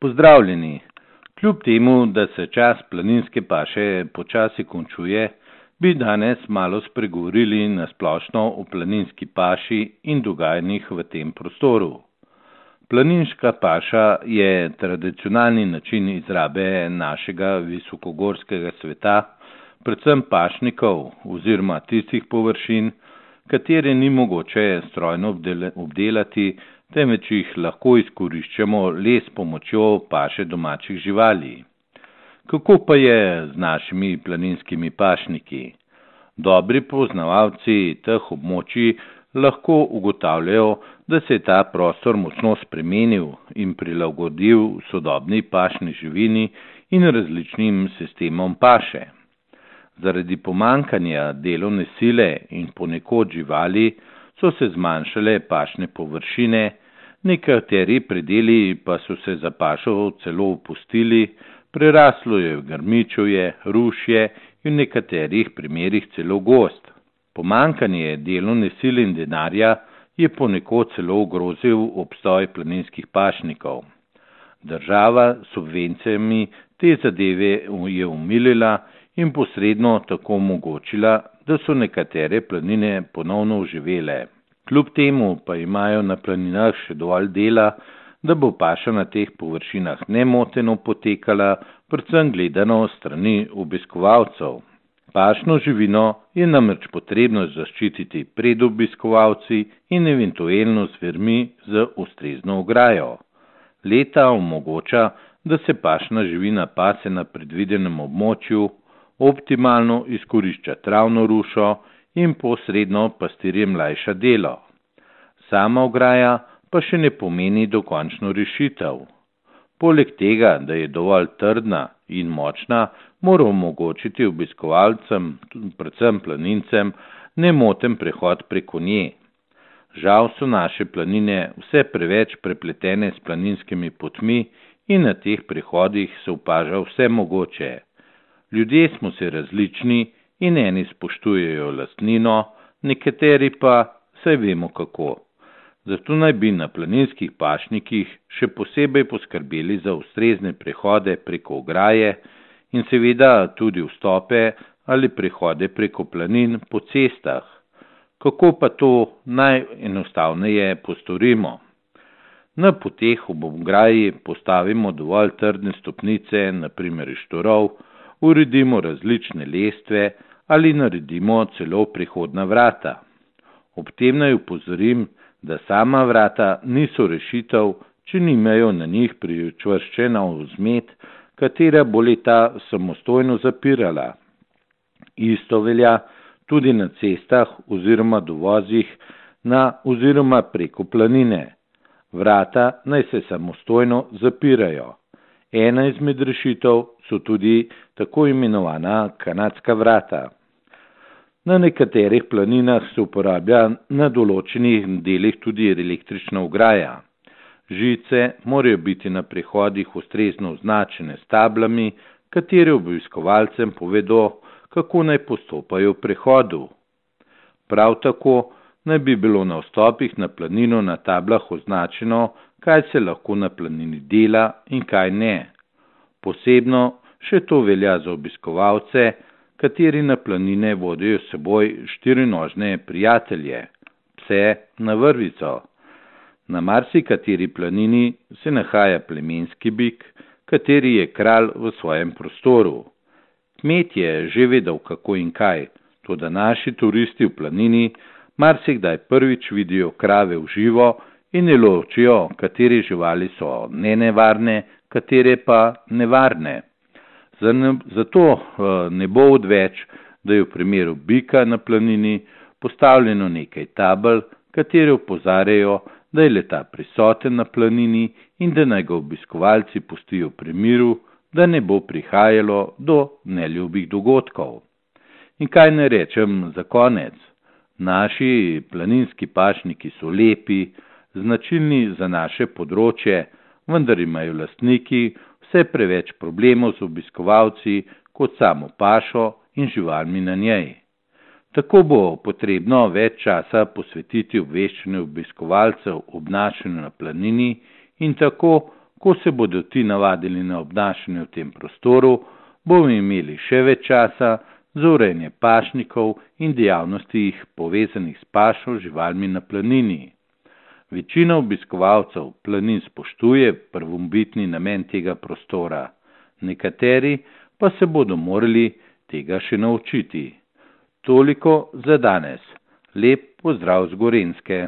Pozdravljeni! Kljub temu, da se čas planinske paše počasi končuje, bi danes malo spregovorili na splošno o planinski paši in dogajanjih v tem prostoru. Planinska paša je tradicionalni način izrabe našega visokogorskega sveta, predvsem pašnikov oziroma tistih površin, katere ni mogoče strojno obdelati, temveč jih lahko izkoriščamo le s pomočjo paše domačih živali. Kako pa je z našimi planinskimi pašniki? Dobri poznavalci teh območij lahko ugotavljajo, da se je ta prostor močno spremenil in prilagodil sodobni pašni živini in različnim sistemom paše. Zaradi pomanjkanja delovne sile in ponekod živali so se zmanjšale pašne površine, nekateri predeli pa so se za pašo celo opustili, preraslo je grmičevje, rušje in v nekaterih primerih celo gozd. Pomanjkanje delovne sile in denarja je ponekod celo ogrozil obstoj planinskih pašnikov. Država s subvencijami te zadeve je omilila in posredno tako omogočila, da so nekatere planine ponovno oživele. Kljub temu pa imajo na planinah še dovolj dela, da bo paša na teh površinah nemoteno potekala, predvsem gledano strani obiskovalcev. Pašno živino je namreč potrebno zaščititi pred obiskovalci in eventualno zvermi z ustrezno ograjo. Leta omogoča, da se pašna živina pase na predvidenem območju, optimalno izkorišča travno rušo in posredno pastirjem lajša delo. Sama ograja pa še ne pomeni dokončno rešitev. Poleg tega, da je dovolj trdna in močna, mora omogočiti obiskovalcem, predvsem planincem, nemoten prehod preko nje. Žal so naše planine vse preveč prepletene s planinskimi potmi in na teh prehodih se opaža vse mogoče. Ljudje smo se različni in eni spoštujejo lastnino, nekateri pa saj vemo kako. Zato naj bi na planinskih pašnikih še posebej poskrbeli za ustrezne prehode preko ograje in seveda tudi vstope ali prehode preko planin po cestah. Kako pa to najenostavneje postorimo? Na poteh ob ograji postavimo dovolj trdne stopnice, na primer iz štorov, uredimo različne lestve ali naredimo celo prehodna vrata. Ob tem naj upozorim, da sama vrata niso rešitev, če nimajo na njih pričvrščena vzmet, katera bo leta samostojno zapirala. Isto velja tudi na cestah oziroma dovozih na oziroma preko planine. Vrata naj se samostojno zapirajo. Ena izmed rešitev so tudi tako imenovana kanadska vrata. Na nekaterih planinah se uporablja na določenih delih tudi električna ograja. Žice morajo biti na prehodih ustrezno označene s tablami, katere obiskovalcem povedo, kako naj postopajo v prehodu. Prav tako naj bi bilo na vstopih na planino na tablah označeno, kaj se lahko na planini dela in kaj ne. Posebno še to velja za obiskovalce, kateri na planine vodijo s seboj štirinožne prijatelje, pse na vrvico. Na marsikateri planini se nahaja plemenski bik, kateri je kralj v svojem prostoru. Kmet je že vedel kako in kaj, toda naši turisti v planini marsikdaj prvič vidijo krave v živo in ne ločijo, katere živali so nenevarne, katere pa nevarne. Zato ne bo odveč, da je v primeru bika na planini postavljeno nekaj tabel, katere opozarjajo, da je leta prisoten na planini in da naj ga obiskovalci pustijo pri miru, da ne bo prihajalo do neljubih dogodkov. In kaj ne rečem za konec? Naši planinski pašniki so lepi, značilni za naše področje, vendar imajo lastniki vse preveč problemov z obiskovalci kot samo pašo in živalmi na njej. Tako bo potrebno več časa posvetiti obveščanju obiskovalcev o obnašanju na planini in tako Ko se bodo ti navadili na obnašanje v tem prostoru, bomo imeli še več časa za urejanje pašnikov in dejavnosti povezanih s pašo živalmi na planini. Večina obiskovalcev planin spoštuje prvobitni namen tega prostora, nekateri pa se bodo morali tega še naučiti. Toliko za danes. Lep pozdrav z Gorenjske.